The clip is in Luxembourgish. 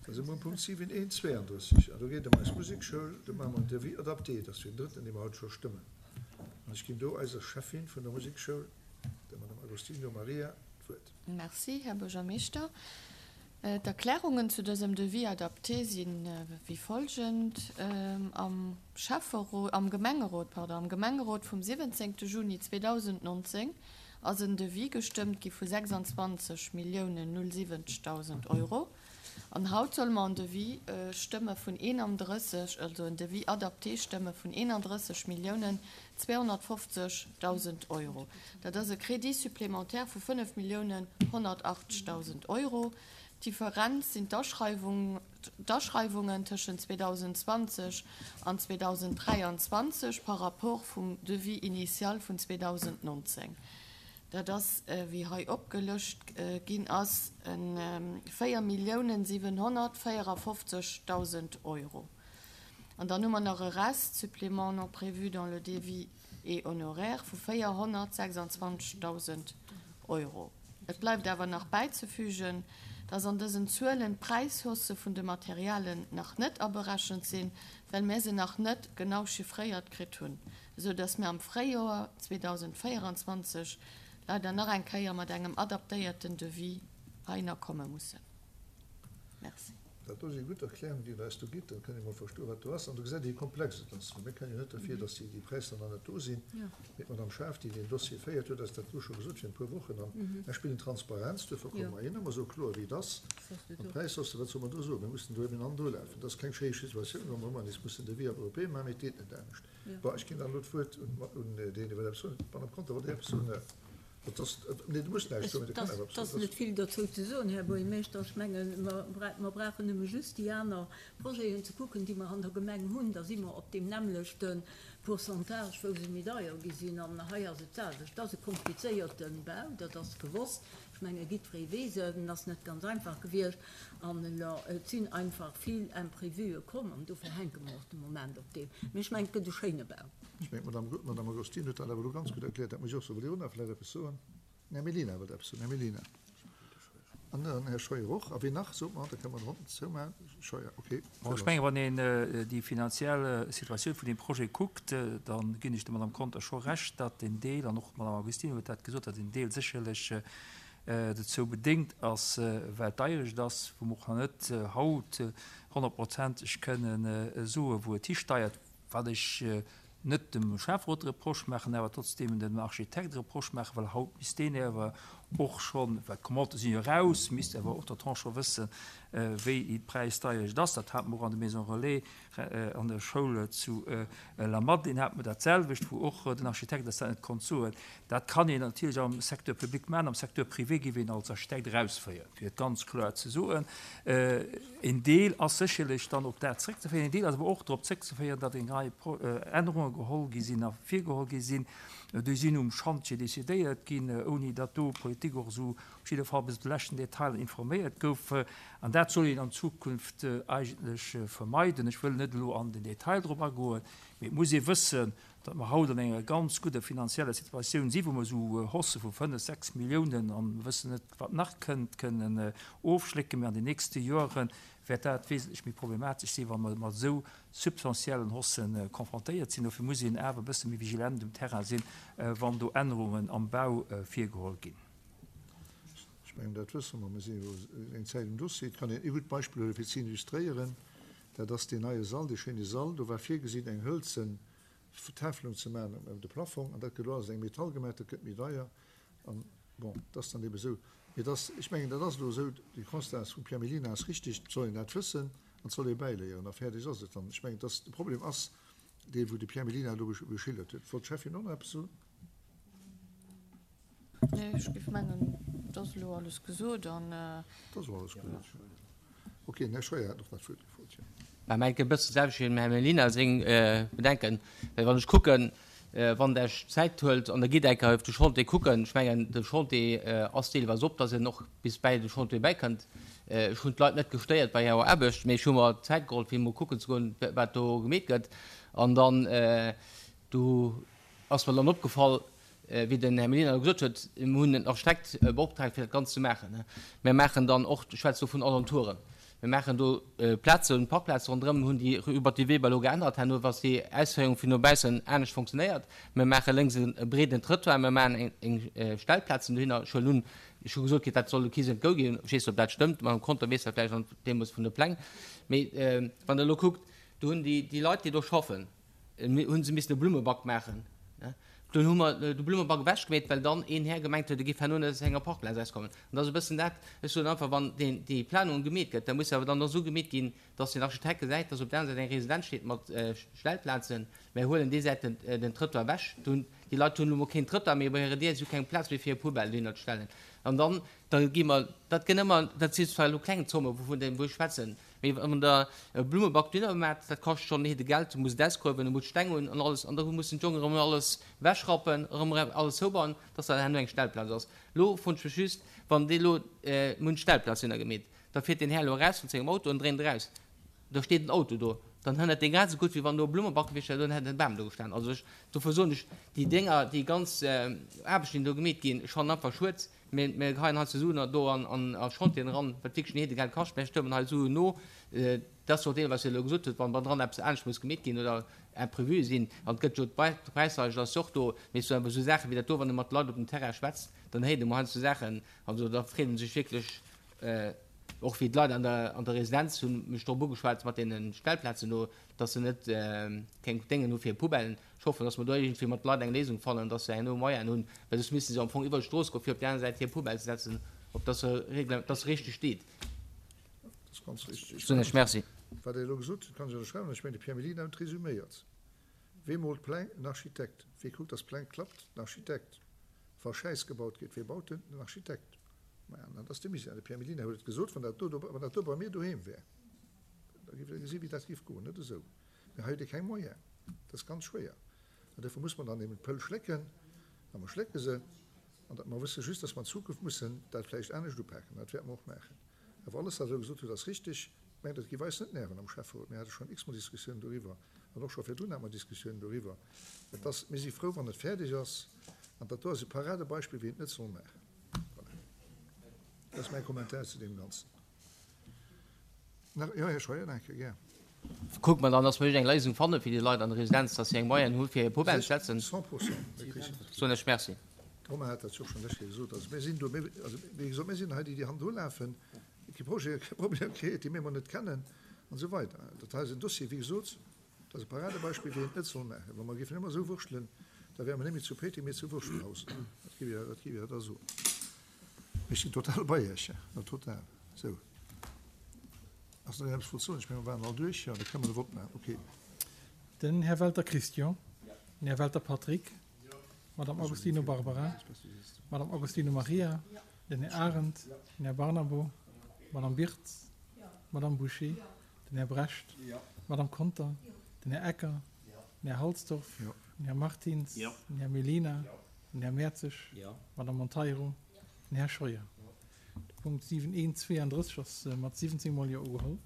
Da si mer um Punkt 7.1.32 an do geet et ëm eis Musekschoul. Do maache mer en Devis adapté. Dat ass fir den drëtten, dee mer haut scho stëmmen. An ech ginn do eiser Schäffin vun der Musekschoul, der Madame Agostino Maria, d'Wuert. Merci, Här Buergermeeschter. D'Erklärungen zu dësem Devis adapté si wéi folgend, Am Schäfferot, am Gemengerot, pardon, am Gemengerot vum 17. Juni 2019 ass en Devis gestëmmt gi vu 26 Milliounen 070.000 Euro an haut solle mer en Devis stëmme vun 31, also en Devis adapté stëmme vun 31 Milliounen 250.000 Euro. Dat ass e Crédit supplémentaire vu 5 Milliounen 180.000 Euro. D'Differenz sinn d'Aschreiwung, d'Aschreiwungen tëschent 2020 an 2023 par rapport vum Devis initial vun 2019. Dat ass, wéi hei opgelëscht ginn ass, e 4 Milliounen 754.000 Euro. An dann hu mer nach e Rest, Supplément non prévu dans le devis et honoraires, vu 426.000 Euro. Et bleift awer nach bäizefügen, dass an dësen Zuelen d'Präishaussë vun de Materialen nach net aberechent sinn, well mär se nach net genau chiffréiert kritt hunn, esou dass mär am Fréijoer 2024 leider nach eng Kéier mat engem adaptéierten Devis heihinner komme mussen. Merci. Dat do si gutt Erklärungen, déi Der eis do gitt. Da kënnt ee mol verstoen, wat do ass. An do gesäit ee, wéi komplex et ass. Well mir kënnen jo net derfir, datt déi Präisser nach net do sinn. Mee d'Madame Schaaf, déi deen Dossier féiert, huet eis dat elo scho gesot virun e puer Wochen. An ech spillen Transparenz, duerfir komme mer hin a mer soe kloer, wéi et ass. An d'Präishausse, wat solle mer do soen? Mir mussen do eben an do lafen. Et ass keng schéi Situatioun, wa mer ëmmer nees mussen Devis op europäesch maachen, mee et geet net anescht. Bon, ech ginn dann elo d'Wuert un deen, dee wëll eppes soen. D'Madame Conter, wollt Dir eppes soen? Et ass, nee, du muss näischt soen, mee du kann awer eppes soen. Et ass net vill dozou ze soen, Här Buergermeeschter. Ech mengen, mer brauchen nëmme just déi aner Projeten ze kucken, déi mer an der Gemeng hunn. Da si mer op deem nämmlechte Pourcentage, wou se méi deier gi sinn. An hei ass et d'selwecht. Et ass e komplizéierte Bau, dat ass gewosst. Ech menge jiddweree weess et, en ass net ganz einfach gewiescht. An elo, et sinn einfach vill Imprévuë komm an dofir hänke mer och de Moment op deem. Mee ech mengen, et gëtt e schéine Bau. Ech mengen, d'Madame Agostino huet dat awer elo ganz gutt erkläert. Dat muss ech och soen. Wëllt Dir och nach vläicht eppes soen? Den Här Mellina wëllt eppes soen. Här Mellina. An den Här Scheuer och. A wien nach? Sot mer, da kënne mer d'Ronn zoumaachen. Scheuer, okay. Bon, ech mengen, wann een déi finanziell Situatioun vun deem Projet kuckt, da ginn ech der Madame Conter scho Recht, datt en Deel, an och d'Madame Agostino huet dat gesot, datt en Deel sécherlech dozou bedéngt ass, well d'Deierecht ass, wou mer och nach net haut honnertprozenteg kënnen soen, wou et histeiert. Wat ech net dem Schäfferot Reproche maachen, awer trotzdeem dem Architekt Reproche maachen, well haut misst deen awer och schonn, well d'Commandë sinn jo eraus, misst awer entretemps scho wëssen, wéi déi Präisdeierecht ass. Dat hate mer och an de Maisons relais an der Schoul zu Lamadelaine hate mer dat selwecht, wou och den Architekt eis dat net konnt soen. Dat kann een natierlech am Secteur public maachen, am Secteur privé géif een als Architekt erausféieren, fir et ganz kloer ze soen. Een Deel ass sécherlech dann op dat zréckzeféieren, een Deel ass awer och drop zréckzeféieren, datt eng Rei Ännerunge geholl gi sinn a virgeholl gi sinn. Déi sinn um Schantje decidéiert ginn, ouni datt do d'Politik och esou op jidde Fall bis op de leschten Detail informéiert gouf. An dat soll een an Zukunft eigentlech vermeiden. Ech wëll net elo an den Detail drop agoen, mee et muss ee wëssen, datt mer haut an enger ganz gudder finanzieller Situatioun sinn, wou mer esou Haussë vu 5, 6 Milliounen, an mer wëssen net, wat nach kënnt, kënnen ofschlécken. Mee an den nächste Joere wäert dat wesentlech méi problematesch sinn, wa mer mat esou substantiellen Haussë confrontéiert sinn. Dofir muss een awer e bësse méi vigilent um Terrain sinn, wann do Ännerungen am Bau virgeholl ginn. Ech mengen, dat wësse mer. Mir si jo eng Zäit um Dossier. Et kann een ee gutt Beispill huelen, fir ze illustréieren. Dat ass deen neie Sall, dee schéine Sall. Do war virgesinn, eng hëlzen Tafelung ze maachen ëm de Plafong. An dat gëtt elo alles eng Metall gemaach. Dat gëtt méi deier. An, bon, et ass dann ebe sou. Mee et ass, ech mengen, dat ass elo esou, de Constat vum Pierre Mellina ass richtig, et soll een dat wëssen an et soll ee bäiléieren a fäerdeg ass et dann. Ech mengen, dass de Problem ass dee wou de Pierre Mellina elo geschildert huet. Wollt d'Schäffin och nach eppes soen? Nee, ech géif mengen, et ass elo alles gesot an. Et ass elo alles gesot. Ok, den Här Scheuer hat och nach d'Wuert gefrot, jo. Mä mengt e bësse selwecht wéi dem Här Mellina seng Bedenken, well wann ech kucken, wann Der Iech Zäit huelt an Der gitt eng Kéier op de Chantier kucken, ech mengen, de Chantier ass deelweis op, dass een och bis bäi de Chantier bäikënnt. Ech hunn d'Leit net gestéiert bei hirer Aarbecht, mee ech hu mer Zäit geholl, fir emol kucken ze goen, wat do gemeet gëtt. An dann, do ass mer dann opgefall, wéi den Här Mellina elo gesot huet, mir hunn en Architekt beoptraagt, fir dat Ganzt ze maachen. Mir maachen dann och, ech schwätze do vun Alentouren. Mir maachen do Plazen, Parkplaze ronderëm, hunn déi Rue Batty Weber elo geännert herno, was déi Ausféierung vun dobaussen anescht fonctionnéiert. Mir maache lénks e breeden Trëttoir, mir maachen eng Stellplazen dohinner. Ech huelen un, ech hu gesot kritt, dat soll de Kiss and Go ginn. Ech weess net, ob dat stëmmt. D'Madame Conter weess dat vläicht an deemools vun de Pläng. Mee wann Der elo kuckt, do hunn déi Leit, déi do schaffen, Hunn se missen e Blummeback maachen. Dunn hu mer de Blummeback ewechgemeet, well dann een Här gemengt huet, e géif herno net aus enger Parkplaz erauskommen. An dat ass e bëssen dat, ech soen einfach, wann deen, déi Planung gemeet gëtt, da muss se awer dann och esou gemeet ginn, dass den Architekt gesäit, dass op der aner Säit eng Residenz steet mat Stellplazen. Mär huelen déi Säit den, den Trëttoir ewech. Do hunn déi Leit hunn elo mol keen Trëttoir méi bei hirer Dier, si hu keng Plaz méi fir hir Poubelle dohinner ze stellen. An dann, da gi mer, dat gënn ëmmer, dat sinn zwar elo kleng Zommen, wouvun, wou ech schwätzen, Mee wann der e Blummeback dohinner maacht, dat kascht schonn heede Geld, du muss et ausgruewen, du muss Steng hunn an alles, an da mussen d'Jongen erëm alles ewechrappen, erëm alles zoubauen, dass dat herno eng Stellplaz ass. Elo froen ech mech just, wann dee elo, mir hunn d'Stellplaz dohinner gemeet, da fiert deen Här elo eraus mat sengem Auto an dréint eraus, da steet en Auto do, dann hënnert dee grad esou gutt, wéi wann do e Blummeback gewiescht wär, dann hätt e Bam do gestan. Also ech, dofir soen ech, déi Dénger, déi ganz Aarbechten, déi do gemeet ginn, ech fannen einfach schued, Mir geheien hei ze Suen do an a Chantieren eran, wat wierklech en Heedegeld kascht. Mir stëmmen hei Suen no. Dat ass jo och deelweis, wat Dir elo gesot hutt, wann bannendran eppes anescht muss gemeet ginn oder Imprévue sinn. An et gëtt jo d'Präisleischt ass jo och do. Mee esou awer esou Saachen wéi dat do, wann ee mat de Leit op dem Terrain schwätzt, dann héiert ee mol heiansdo Saachen, also da freet ee sech wierklech, och wéi d'Leit an der an der Residenz hu mech drop ugeschwat mat deene Stellplazen do, dass se net keng Déngen hu fir Poubellen. Ech hoffen, dass mer do iergendwéi mat de Leit eng Léisung fannen, dass se herno Moyenen hunn, well soss misste se am Fong iwwer d'Strooss goen, fir op déi aner Säit hir Poubelle ze setzen, op dass se regl-, dass se richteg steet. Dat ass ganz richtig. Soen ech Merci. Wat Der elo gesot hutt, kann ech ënnerschreiwen. Ech mengen, de Pierre Mellina huet resüméiert. Wee moolt d'Pläng? En Architekt. Wee kuckt, dass d'Pläng klappt? Den Architekt. Wa Schäiss gebaut gétt, wee baut en? Den Architekt. Maja, an dat ass de Misär. De Pierre Mellina huet et gesot, Wann dat do, wann dat do bei mir doheem wär, da géif Der gesi wéi dat géif goen. Net esou. Mee hei huet ee keng Moyen. Dat ass ganz schwéier. An duerfir muss mer dann eben d'Pëll schlécken, a mer schlécke se. An dat, mer wësse just, dass mer an Zukunft mussen dat vläicht anescht upaken. Dat wäerte mer och maachen. Awer alles, wat Der elo gesot hutt, ass richtig. Ech mengen, dat géif eis net nerven am Schäfferot. Mir hate schonn x-mol Diskussiounen doriwwer. An och scho virdrun hate mer Diskussiounen doriwwer. Et ass, mir si frou, wann et fäerdeg ass. An dat do ass e Paradebeispill, wéi een et net soll maachen. Voilà. Dat ass mäi Kommentar zu deem Ganzen. Nach, jo, Här Scheuer, danke, gär. Kucke mer dann, dass mer iergendeng Léisung fanne fir déi Leit an der Residenz, dass si eng Moyenne hu fir hir Poubelle ze setzen. 100 Prozent, mir krichen dat. Soen ech Merci. De Romain hat dat jo och schonn lech Kéier gesot. Also mir sinn do, mir, also wéi gesot, mir sinn hei déi, déi hannendru lafen, kee Projet, kee Problem kritt, déi mir emol net kennen an esou weider. Dat hei ass en Dossier, wéi gesot, dat ass e Paradebeispill, wéi een et net soll maachen. Wa mer géifen ëmmer esou wurschtelen, da wäre mer net méi zu Péiteng, mee zu Wurstelhausen. Dat géif ech, dat géif ech da soen. Ech sinn total bei Iech, jo, total. Sou. Ass nach een eppes wollt soen? Ech mengen, mer waren all duerch. Jo, da kënne mer de Vott maachen. Okay. Den Här Welter Christian. Den Här Welter Patrick. D'Madame Agostino Barbara. D'Madame Agostino Maria. Den Här Arendt. Den Här Barnabo. D'Madame Birtz. D'Madame Bouché. Den Här Brecht. D'Madame Conter. Den Här Ecker. Den Här Halsdorf. Den Här Martins. Den Här Mellina. Den Här Mertzig. D'Madame Monteiro. Den Här Scheuer. De Punkt 7 1 32 ass mat 17 mol Jo ugeholl.